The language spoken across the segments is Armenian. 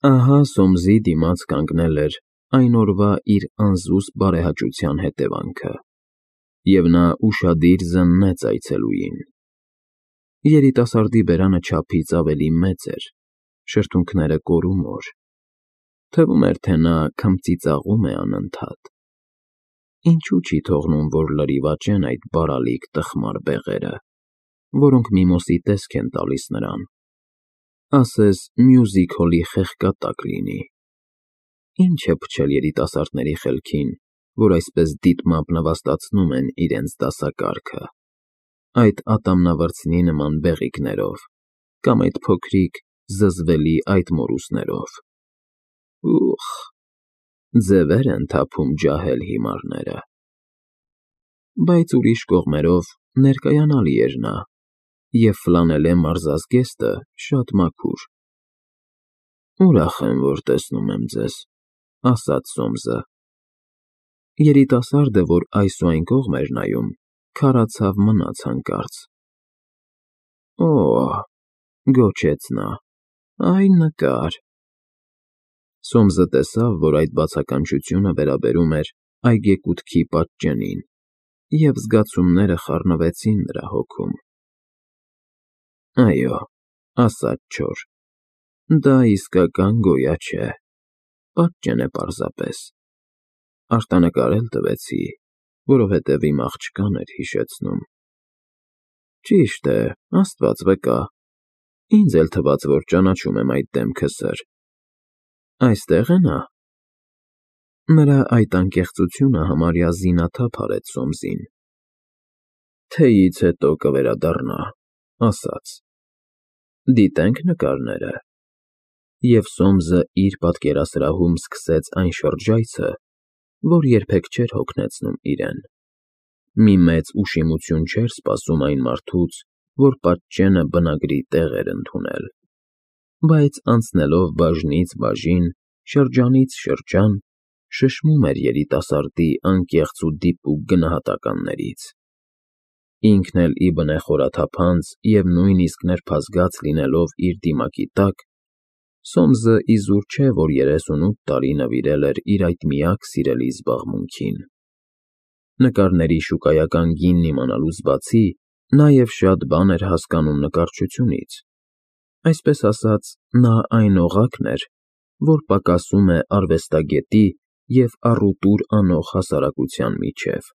Ահա Սոմզի դիմաց կանգնել էր այն օրվա իր անզուսպ բարեհաճության հետևանքը, և նա ուշադիր զննեց այցելուին. երիտասարդի բերանը չափից ավելի մեծ էր, շրթունքները կորումոր, թվում էր, թե նա քմծիծաղում է անընդհատ։ Ինչու չի թողնում, որ լրիվ աճեն այդ բարալիկ տխմար բեղերը, որոնք միմոսի տեսք են տալիս նրան, ասես մյուզիք հոլի խեղկատակ լինի։ Ինչ է փչել երիտասարդների խելքին, որ այսպես դիտմամբ նվաստացնում են իրենց դասակարգը, այդ ատամնավրձնի նման բեղիկներով, կամ այդ փոքրիկ, զզվելի այդ մորուսներով։ Ուխ, ձևեր են թափում ջահել հիմարները։ Բայց ուրիշ կողմերով ներկայանալի էր նա, և ֆլանելե մարզազգեստը շատ մաքուր։ Ուրախ եմ, որ տեսնում եմ ձեզ, ասաց Սոմզը։ Երիտասարդը, որ այս ու այն կողմ էր նայում, քարացավ մնաց հանկարծ։ Օ՜, գոչեց նա, այ նկար։ Սոմզը տեսավ, որ այդ բացականչությունը վերաբերում էր այգեկութքի պատճենին, և զգացումները խառնվեցին նրա հոգում։ Այո, ասաց չոր, դա իսկական գոյա չէ, պատճեն է պարզապես։ Արտանկարել տվեցի, որովհետև իմ աղջկան էր հիշեցնում։ Ճիշտ է, Աստված վկա, ինձ էլ թվաց, որ ճանաչում եմ այդ դեմքը սր։ Այստե՞ղ է նա։ Նրա այդ անկեղծությունը համարյա զինաթափ արեց Սոմզին։ Թեյից հետո կվերադառնա, ասաց. Դիտե՞նք նկարները։ Եվ Սոմզը իր պատկերասրահում սկսեց այն շրջայցը, որ երբեք չէր հոգնեցնում իրեն։ Մի մեծ ուշիմություն չէր սպասում այն մարդուց, որ պատճենը բնագրի տեղ էր ընդունել։ Բայց անցնելով բաժնից բաժին, շրջանից շրջան, շշմում էր երիտասարդի անկեղծ ու դիպուկ գնահատականներից։ Ինքն էլ ի բնե խորաթափանց և նույնիսկ նրբազգաց լինելով իր դիմակի տակ, Սոմզը իզուր չէ, որ 38 տարի նվիրել էր իր այդ միակ սիրելի զբաղմունքին։ Նկարների շուկայական գինն իմանալուց բացի, նաև շատ բան էր հասկանում նկարչությունից։ Այսպես ասած, նա այն օղակն էր, որ պակասում է արվեստագետի և առուտուր անող հասարակության միջև։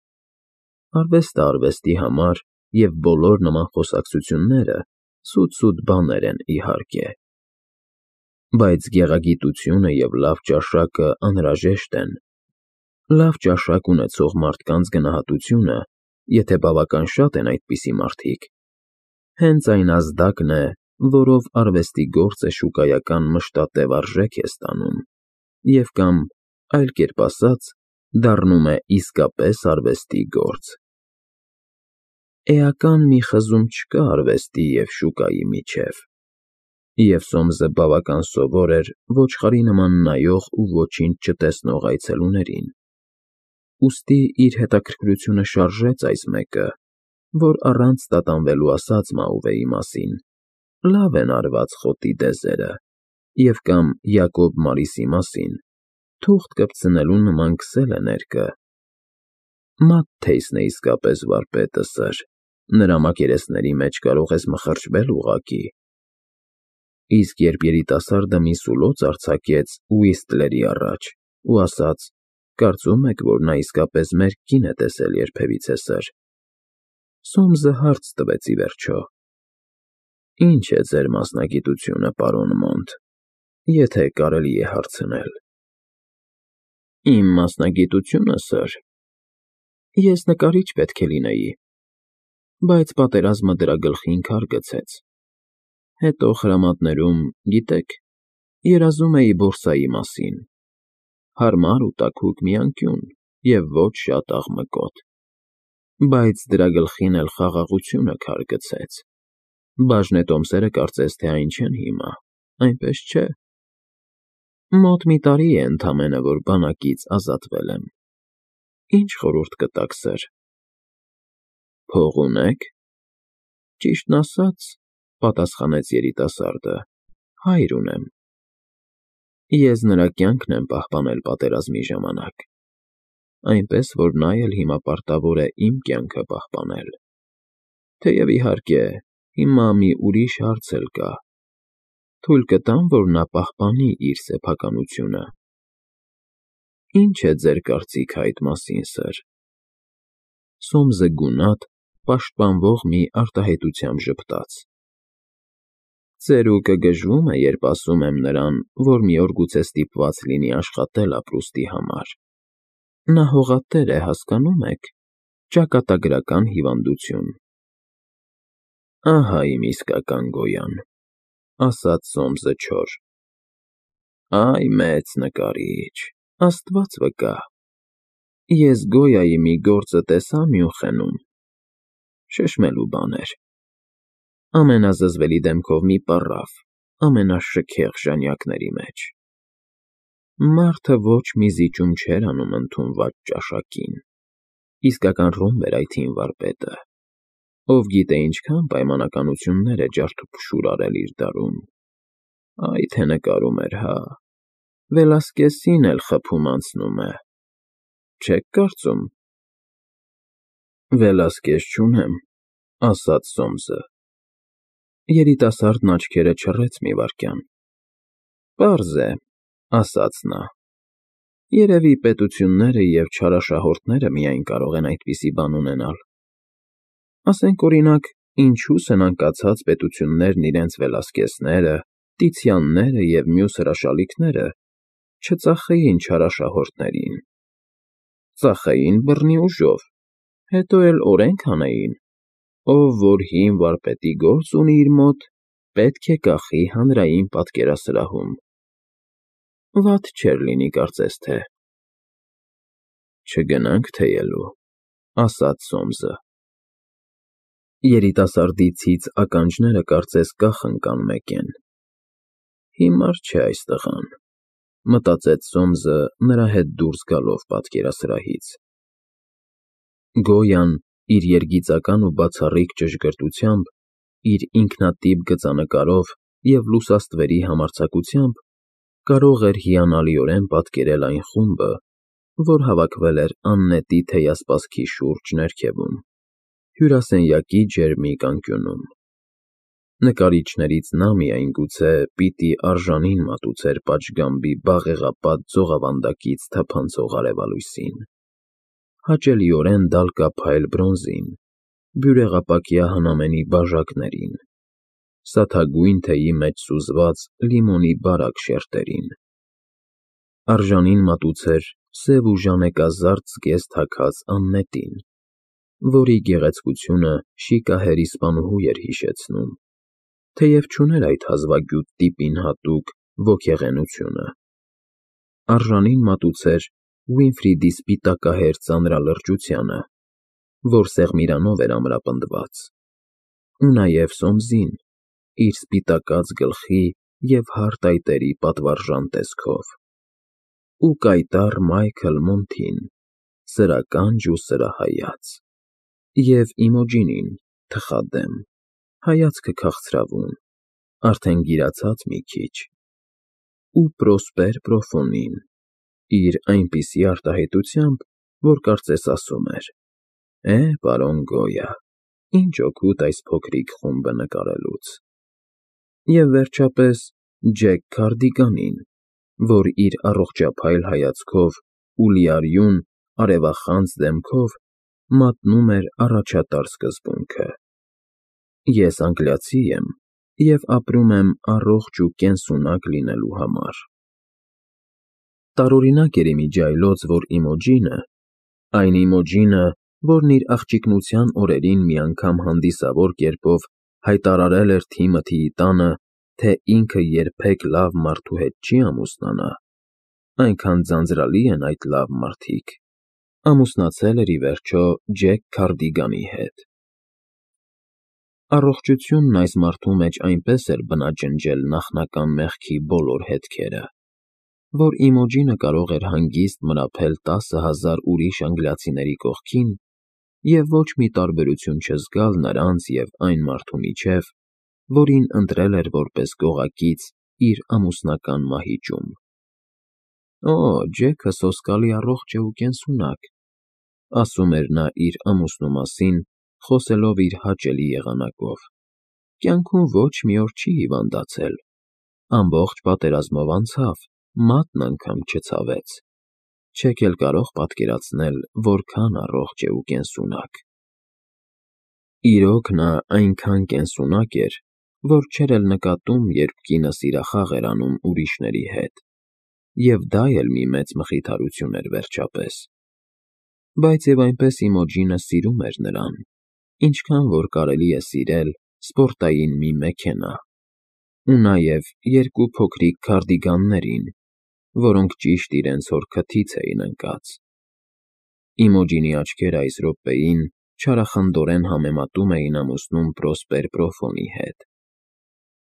Արվեստը արվեստի համար և բոլոր նման խոսակցությունները սուտ բաներ են, իհարկե։ Բայց գեղագիտությունը և լավ ճաշակը անհրաժեշտ են։ Լավ ճաշակ ունեցող մարդկանց գնահատությունը, եթե բավական շատ են այդպիսի մարդիկ, հենց այն ազդակն է, որով արվեստի գործը շուկայական մշտատև արժեք է ստանում և կամ, այլ կերպ ասած, դառնում է իսկապես արվեստի գործ։ Էական մի խզում չկա արվեստի և շուկայի միջև։ Եվ Սոմզը բավական սովոր էր ոչխարի նման նայող ու ոչինչ չտեսնող այցելուներին։ Ուստի իր հետաքրքրությունը շարժեց այս մեկը, որ առանց տատանվելու ասաց Մաուվեի մասին. լավ են արված խոտի դեզերը, և կամ Յակոբ Մարիսի մասին, թուղթ կպցնելու նման քսել է ներկը։ Մատթեյսն է իսկապես վարպետը, սըր, նրա մակերեսների մեջ կարող ես մխրճվել ուղղակի։ Իսկ երբ երիտասարդը մի սուլոց արձակեց Ուիսթլերի առաջ ու ասաց. կարծում եք, որ նա իսկապես մեր կին է տեսել երբևիցե, սըր, Սոմզը հարց տվեց ի վերջո. Ինչ է ձեր մասնագիտությունը, պարոն Մոնտ, եթե կարելի է հարցնել։ Իմ մասնագիտությունը, սըր, ես նկարիչ պետք է լինեի, բայց պատերազմը դրա գլխին քար գցեց։ Հետո խրամատներում, գիտեք, երազում էի բորսայի մասին, հարմար ու տաքուկ մի անկյուն և ոչ շատ աղմկոտ։ Բայց դրա գլխին էլ խաղաղությունը քար գցեց։ Բաժնետոմսերը կարծես թե այն չեն հիմա, այնպես չէ։ Մոտ մի տարի է ընդամենը, որ բանակից ազատվել եմ։ Ինչ խորհուրդ կտաք, սըր։ Փող ունե՞ք։ Ճիշտն ասած, պատասխանեց երիտասարդը, հայր ունեմ։ Ես նրա կյանքն եմ պահպանել պատերազմի ժամանակ, այնպես, որ նա էլ հիմա պարտավոր է իմ կյանքը պահպանել։ Թեև իհարկե, հիմա մի ուրիշ հարց էլ կա. թույլ կտամ, որ նա պահպանի իր սեփականությունը։ Ինչ է ձեր կարծիքը այդ մասին, սըր։ Սոմսը գունատ, պաշտպանվող մի արտահայտությամբ ժպտաց։ Ծերուկը գժվում է, երբ ասում եմ նրան, որ մի օր գուցե ստիպված լինի աշխատել ապրուստի համար։ Նա հողատեր է, հասկանում եք, ճակատագրական հիվանդություն։ Ահա իմ իսկական գոյան, ասաց Սոմսը չոր։ Այ մեծ նկարիչ, Աստված վկա։ Ես Գոյայի մի գործը տեսա Մյունխենում։ Շշմելու բան էր։ Ամենազզվելի դեմքով մի պառավ, ամենաշքեղ ժանյակների մեջ։ Մարդը ոչ մի զիջում չէր անում ընդունված ճաշակին։ Իսկական ռումբ էր այդ հին վարպետը, ով գիտե ինչքան պայմանականություններ է ջարդուփշուր արել իր դարում։ Այ թե նկարում էր, հա։ Վելասկեսին էլ խփում անցնում է։ Չեք կարծում։ Վելասկես չունեմ, ասաց Սոմսը։ Երիտասարդն աչքերը չռեց մի վայրկյան։ Պարզ է, ասաց նա։ Երևի պետությունները և չարաշահորդները միայն կարող են այդպիսի բան ունենալ։ Ասենք, օրինակ, ինչու սնանկացած պետություններն իրենց Վելասկեսները, Տիցիանները և մյուս հրաշալիքները չծախեին չարաշահորդներին։ Ծախեին բռնի ուժով, հետո էլ օրենք անեին. ով որ հին վարպետի գործ ունի իր մոտ, պետք է կախի հանրային պատկերասրահում։ Վատ չէր լինի, կարծես թե։ Չգնանք թեյելու, ասաց Սոմսը։ Երիտասարդի ցից ականջները կարծես կախ ընկան մեկեն։ Հիմար չէ այս տղան, մտածեց Սոմսը նրա հետ դուրս գալով պատկերասրահից։ Գոյան իր երգիծական ու բացառիկ ճշգրտությամբ, իր ինքնատիպ գծանկարով և լուսաստվերի համարձակությամբ կարող էր հիանալիորեն պատկերել այն խումբը, որ հավաքվել էր աննետի թեյասպասքի շուրջ ներքևում, հյուրասենյակի ջերմիկ անկյունում։ Նկարիչներից նա միայն գուցե պիտի արժանին մատուցեր պատշգամբի բաղեղապատ ձողավանդակից թափանցող արևալույսին, հաճելիորեն դալկափայլ բրոնզին, բյուրեղապակյա հնամենի բաժակներին, սաթագույն թեյի մեջ սուզված լիմոնի բարակ շերտերին։ Արժանին մատուցեր սև ու ժանեկազարդ զգեստ հագած Աննետին, որի գեղեցկությունը շիկահեր իսպանուհու էր հիշեցնում, թեև չուներ այդ հազվագյուտ տիպին հատուկ ոգեղենությունը։ Արժանին մատուցեր Ուինֆրիդի սպիտակահեր ծանրալրջությանը, որ սեղմիրանով էր ամրապնդված, ու նաև Սոմսին, իր սպիտակած գլխի և հարթ այտերի պատվարժան տեսքով, ու կայտառ Մայքլ Մոնթին, սրականջ ու սրահայաց, և Իմոգինին, թխադեմ, հայացքը քաղցրավուն, արդեն գիրացած մի քիչ, ու Պրոսպեր Պրոֆոնին, իր այնպիսի արտահայտությամբ, որ կարծես ասում էր. պարոն Գոյա, ինչ օգուտ այս փոքրիկ խումբը նկարելուց։ Եվ վերջապես Ջեք Քարդիգանին, որ իր առողջափայլ հայացքով ու լիարյուն, արևախանձ դեմքով մատնում էր առաջատար սկզբունքը. Ես անգլիացի եմ և ապրում եմ առողջ ու կենսունակ լինելու համար։ Տարօրինակ էր իմիջիայլոց, որ Իմոգինը, այն Իմոգինը, որն իր աղջիկնության օրերին մի անգամ հանդիսավոր կերպով հայտարարել էր Թիմոթիի տանը, թե ինքը երբեք լավ մարդու հետ չի ամուսնանա, այնքան ձանձրալի են այդ լավ մարդիկ, ամուսնացել էր ի վերջո Ջեք Քարդիգանի հետ։ Առողջությունն այս մարդու մեջ այնպես էր բնաջնջել նախնական մեղքի բոլոր հետքերը, որ Իմոգինը կարող էր հանգիստ մրափել 10,000 ուրիշ անգլիացիների կողքին և ոչ մի տարբերություն չզգալ նրանց և այն մարդու միջև, որին ընտրել էր որպես գողակից իր ամուսնական մահիճում։ Օ, Ջեքը սոսկալի առողջ է ու կենսունակ, ասում էր նա իր ամուսնու մասին, խոսելով իր հաճելի եղանակով։ Կյանքում ոչ մի օր չի հիվանդացել, ամբողջ պատերազմով անցավ, մատն անգամ չցավեց։ Չեք էլ կարող պատկերացնել, որքան առողջ է ու կենսունակ։ Իրոք նա այնքան կենսունակ էր, որ չէր էլ նկատում, երբ կինը սիրախաղ էր անում ուրիշների հետ, և դա էլ մի մեծ մխիթարություն էր վերջապես։ Բայց և այնպես Իմոջինը սիրում էր նրան, ինչքան որ կարելի է սիրել սպորտային մի մեքենա, ու նաև երկու փոքրիկ քարդիգաններին, որոնք ճիշտ իրենց հոր քթից էին ընկած։ Իմոջինի աչքերը այս րոպեին չարախնդորեն համեմատում էին ամուսնուն Պրոսպեր Պրոֆոնի հետ։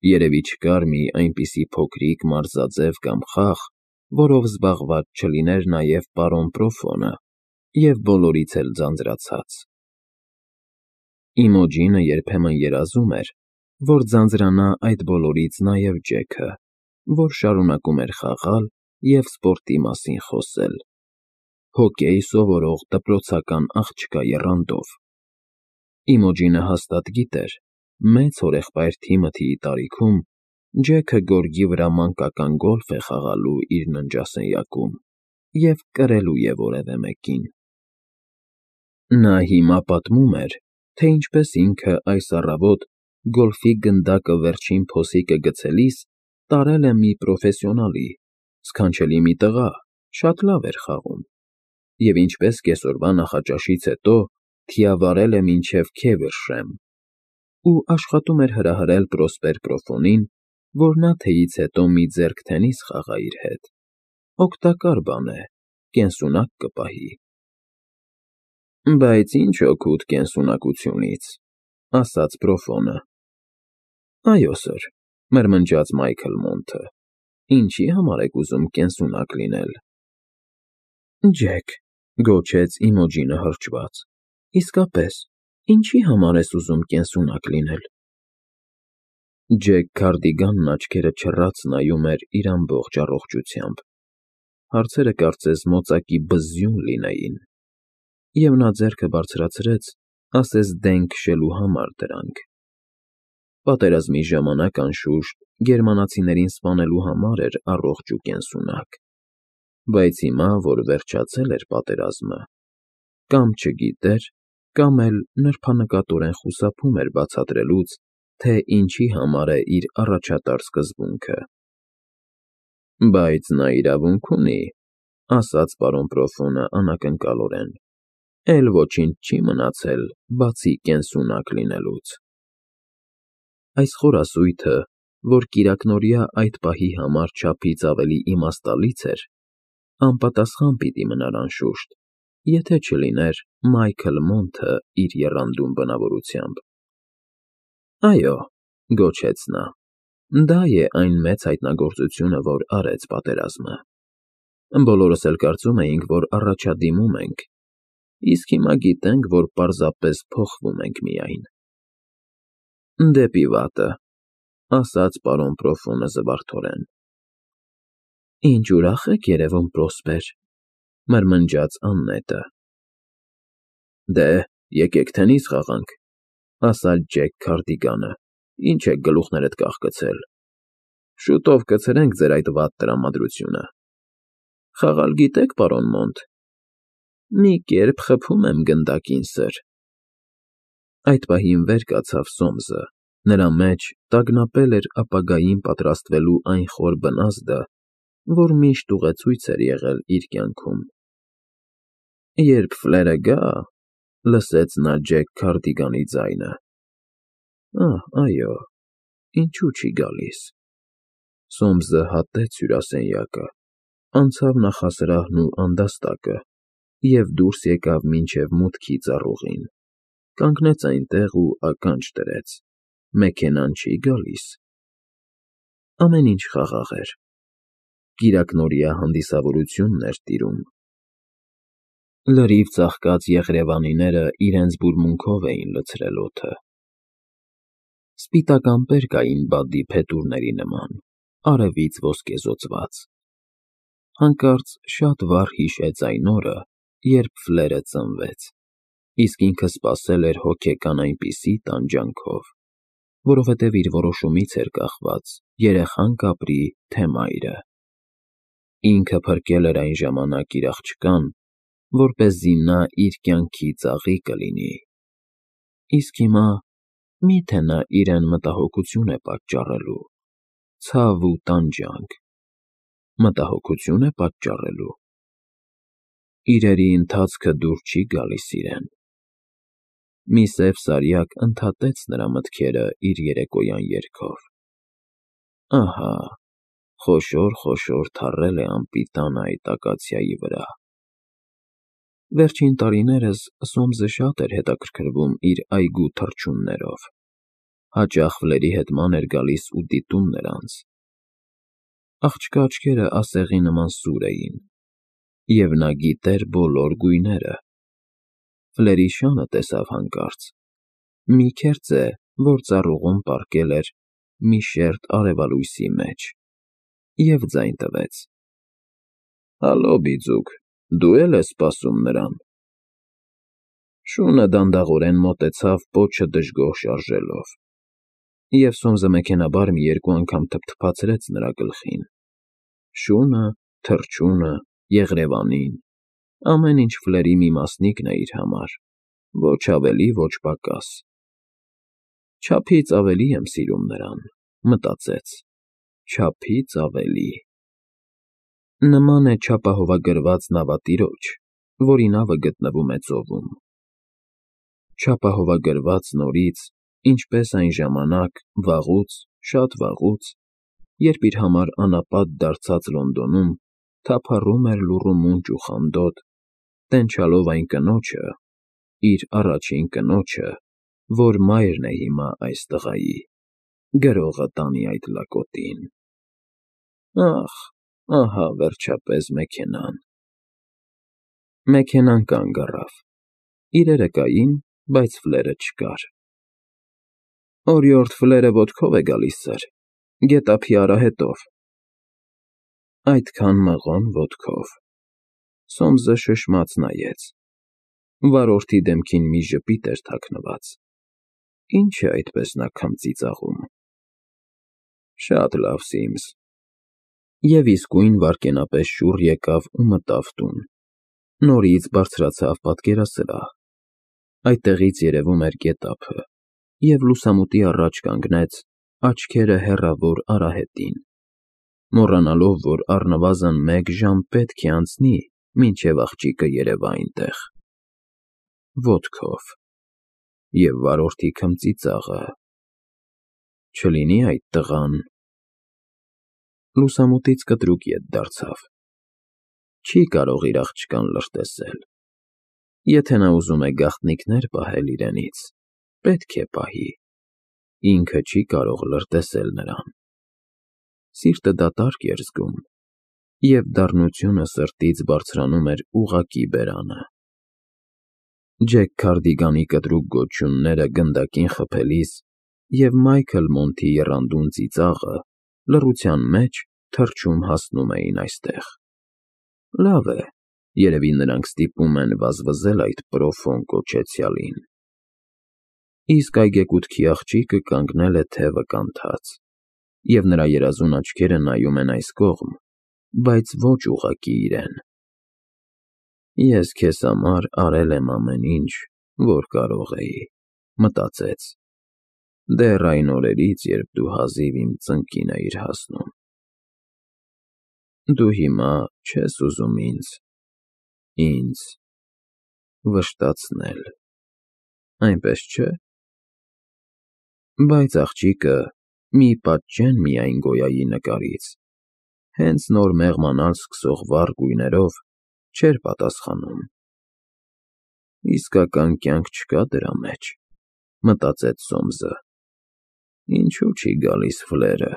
Երևի չկար մի այնպիսի փոքրիկ մարզաձև կամ խաղ, որով զբաղված չլիներ նաև պարոն Պրոֆոնը և բոլորից էլ ձանձրացած։ Իմոջինը երբեմն երազում էր, որ ձանձրանա այդ բոլորից նաև Ջեքը, որ շարունակում էր խաղալ և սպորտի մասին խոսել, հոկեյ սովորող դպրոցական աղջկա եռանդով։ Իմոջինը հաստատ գիտեր, մեծ հորեղբայր Թիմոթիի տարիքում Ջեքը գորգի վրա մանկական գոլֆ է խաղալու իր ննջասենյակում և կրելու է որևէ մեկին։ Նա հիմա պատմում էր, թե ինչպես ինքը այս առավոտ գոլֆի գնդակը վերջին փոսիկը գցելիս տարել է մի պրոֆեսիոնալի, սքանչելի մի տղա, շատ լավ էր խաղում, և ինչպես կեսօրվա նախաճաշից հետո թիավարել է մինչև Քեվերշեմ ու աշխատում էր հրահրել Պրոսպեր Պրոֆոնին, որ նա թեյից հետո մի ձեռք թենիս խաղա իր հետ, օգտակար բան է, կենսունակ կպահի։ Բայց ինչ օգուտ կենսունակությունից, ասաց Պրոֆոնը։ Այո, սըր, մրմնջաց Մայքլ Մոնթը, ինչի համար եք ուզում կենսունակ լինել։ Ջեք, գոչեց Իմոջինը հրճված, իսկապես, ինչի համար ես ուզում կենսունակ լինել։ Ջեք Քարդիգանն աչքերը չռած նայում էր իր ամբողջ առողջությամբ, հարցերը կարծես մոծակի բզզյուն լինեին, և նա ձեռքը բարձրացրեց, ասես դեն քշելու համար դրանք։ Պատերազմի ժամանակ, անշուշտ, գերմանացիներին սպանելու համար էր առողջ ու կենսունակ, բայց հիմա, որ վերջացել էր պատերազմը, կամ չգիտեր, կամ էլ նրբանկատորեն խուսափում էր բացատրելուց, թե ինչի համար է իր առաջատար սկզբունքը։ Բայց նա իրավունք ունի, ասաց պարոն Պրոֆոնը անակնկալորեն, էլ ոչինչ չի մնացել, բացի կենսունակ լինելուց։ Այս խորասույթը, որ կիրակնօրյա այդ պահի համար չափից ավելի իմաստալից էր, անպատասխան պիտի մնար անշուշտ, եթե չլիներ Մայքլ Մոնթը իր եռանդուն բնավորությամբ։ Այո, գոչեց նա, դա է այն մեծ հայտնագործությունը, որ արեց պատերազմը։ Բոլորս էլ կարծում էինք, որ առաջադիմում ենք, իսկ հիմա գիտենք, որ պարզապես փոխվում ենք միայն։ Դեպի վատը, ասաց պարոն Պրոֆոնը զվարթորեն։ Ինչ ուրախ եք երևում, Պրոսպեր, մրմնջաց Աննետը։ Դե, եկեք թենիս խաղանք, ասաց Ջեք Քարդիգանը, ինչ եք գլուխներդ կախկցել։ Շուտով կցրենք ձեր այդ վատ տրամադրությունը։ Խաղալ գիտե՞ք, պարոն Մոնթ։ Մի կերպ խփում եմ գնդակին, սըր։ Այդ պահին վեր կացավ Սոմսը, նրա մեջ տագնապել էր ապագային պատրաստվելու այն խոր բնազդը, որ միշտ ուղեցույց էր եղել իր կյանքում։ Երբ ֆլերը գա, լսեց նա Ջեք Քարդիգանի ձայնը։ Այո, ինչու չի գալիս։ Սոմսը հատեց հյուրասենյակը, անցավ նախասրահն ու անդաստակը և դուրս եկավ մինչև մուտքի ծառուղին, կանգնեց այնտեղ ու ականջ դրեց. մեքենան չի գալիս։ Ամեն ինչ խաղաղ էր։ Կիրակնօրյա հանդիսավորությունն էր տիրում։ Լրիվ ծաղկած եղրևանիները իրենց բուրմունքով էին լցրել օդը։ Սպիտակ ամպեր կային բադի փետուրների նման, արևից ոսկեզօծված։ Հանկարծ շատ վառ հիշեց այն օրը, երբ Ֆլերը ծնվեց, իսկ ինքը սպասել էր հոգեկան այնպիսի տանջանքով, որովհետև իր որոշումից էր կախված երեխան կապրի, թե մայրը։ Ինքը փրկել էր այն ժամանակ իր աղջկան, որպեսզի նա իր կյանքի ծաղիկը լինի։ Իսկ հիմա մի՞թե նա իրեն մտահոգություն է պատճառելու, ցավ ու տանջանք, մտահոգություն է պատճառելու։ Իրերի ընթացքը դուր չի գալիս իրեն։ Մի սև սարյակ ընդհատեց նրա մտքերը իր երեկոյան երգով. ահա, խոշոր թառել է անպիտան այդ ակացիայի վրա։ Վերջին տարիներս Սոմսը շատ էր հետաքրքրվում իր այգու թռչուններով, հաճախ Ֆլերի հետ ման էր գալիս ու դիտում նրանց։ Աղջկա աչքերը ասեղի նման սուր էին, և նա գիտեր բոլոր գույները։ Ֆլերի շանը տեսավ հանկարծ, մի քերծե, որ ծառուղուն պառկել էր մի շերտ արևալույսի մեջ, և ձայն տվեց. «Հալո, բիծուկ, դու էլ ես սպասում նրան»։ Շունը դանդաղորեն մոտեցավ պոչը դժգոհ շարժելով, և Սոմսը մեքենայաբար մի երկու անգամ թփթփացրեց նրա գլխին։ Շունը, թռչունը, Եղրևանին, ամեն ինչ Ֆլերի մի մասնիկն է իր համար, ոչ ավելի, ոչ պակաս։ «Չափից ավելի եմ սիրում նրան», մտածեց, չափից ավելի։ Նման է չափահովագրված նավատիրոջ, որի նավը գտնվում է ծովում։ Չափահովագրված նորից, ինչպես այն ժամանակ, վաղուց, շատ վաղուց, երբ իր համար անապատ դարձած Լոնդոնում թափառում էր լուռու մունջ ու խանդոտ, տենչալով այն կնոջը, իր առաջին կնոջը, որ մայրն է հիմա այս տղայի, գրողը տանի այդ լակոտին։ Ախ, ահա վերջապես մեքենան։ Մեքենան կանգ առավ։ Իրերը կային, բայց Ֆլերը չկար։ Օրիորդ Ֆլերը ոտքով է գալիս, սըր, գետափի արահետով։ Այդքան մղոն ոտքով։ Սոմսը շշմաց նայեց։ Վարորդի դեմքին մի ժպիտ էր թաքնված։ Ինչ է այդպես նա քմծի ծաղում։ Շատ լավ, Սիմս։ Եվ իսկույն վայրկենապես շուռ եկավ ու մտավ տուն։ Նորից բարձրացավ պատկերասրահ։ Այդտեղից երևում էր գետափը, և լուսամուտի առաջ կանգնեց, աչքերը հեռավոր արահետին, մոռանալով, որ առնվազն 1 ժամ պետք է անցնի, մինչև աղջիկը երևա այնտեղ։ Ոտքով։ Եվ վարորդի քմծի ծաղը… Չլինի այդ տղան… Լուսամուտից կտրուկ ետ դարձավ։ Չի կարող իր աղջկան լրտեսել։ Եթե նա ուզում է գաղտնիքներ պահել իրենից, պետք է պահի։ Ինքը չի կարող լրտեսել նրան։ Սիրտը դատարկ էր զգում, և դառնությունը սրտից բարձրանում էր ուղղակի բերանը։ Ջեք Քարդիգանի կտրուկ գոչյունները գնդակին խփելիս և Մայքլ Մոնթի եռանդուն ծիծաղը լռության մեջ թռչում հասնում էին այստեղ։ Լավ է, երևի նրանք ստիպում են վազվզել այդ պրոֆոն կոչեցյալին։ Իսկ այգեկութքի աղջիկը կանգնել է թևը կանթած, և նրա երազուն աչքերը նայում են այս կողմ, բայց ոչ ուղղակի իրեն։ Ես քեզ համար արել եմ ամեն ինչ, որ կարող էի, մտածեց, դեռ այն օրերից, երբ դու հազիվ իմ ծնկին էիր հասնում։ Դու հիմա չես ուզում ինձ վշտացնել, այնպես չէ՞։ Բայց աղջիկը, մի պատճեն միայն Գոյայի նկարից, հենց նոր մեղմանալ սկսող վառ գույներով, չէր պատասխանում։ Իսկական կյանք չկա դրա մեջ, մտածեց Սոմսը։ Ինչու չի գալիս Ֆլերը։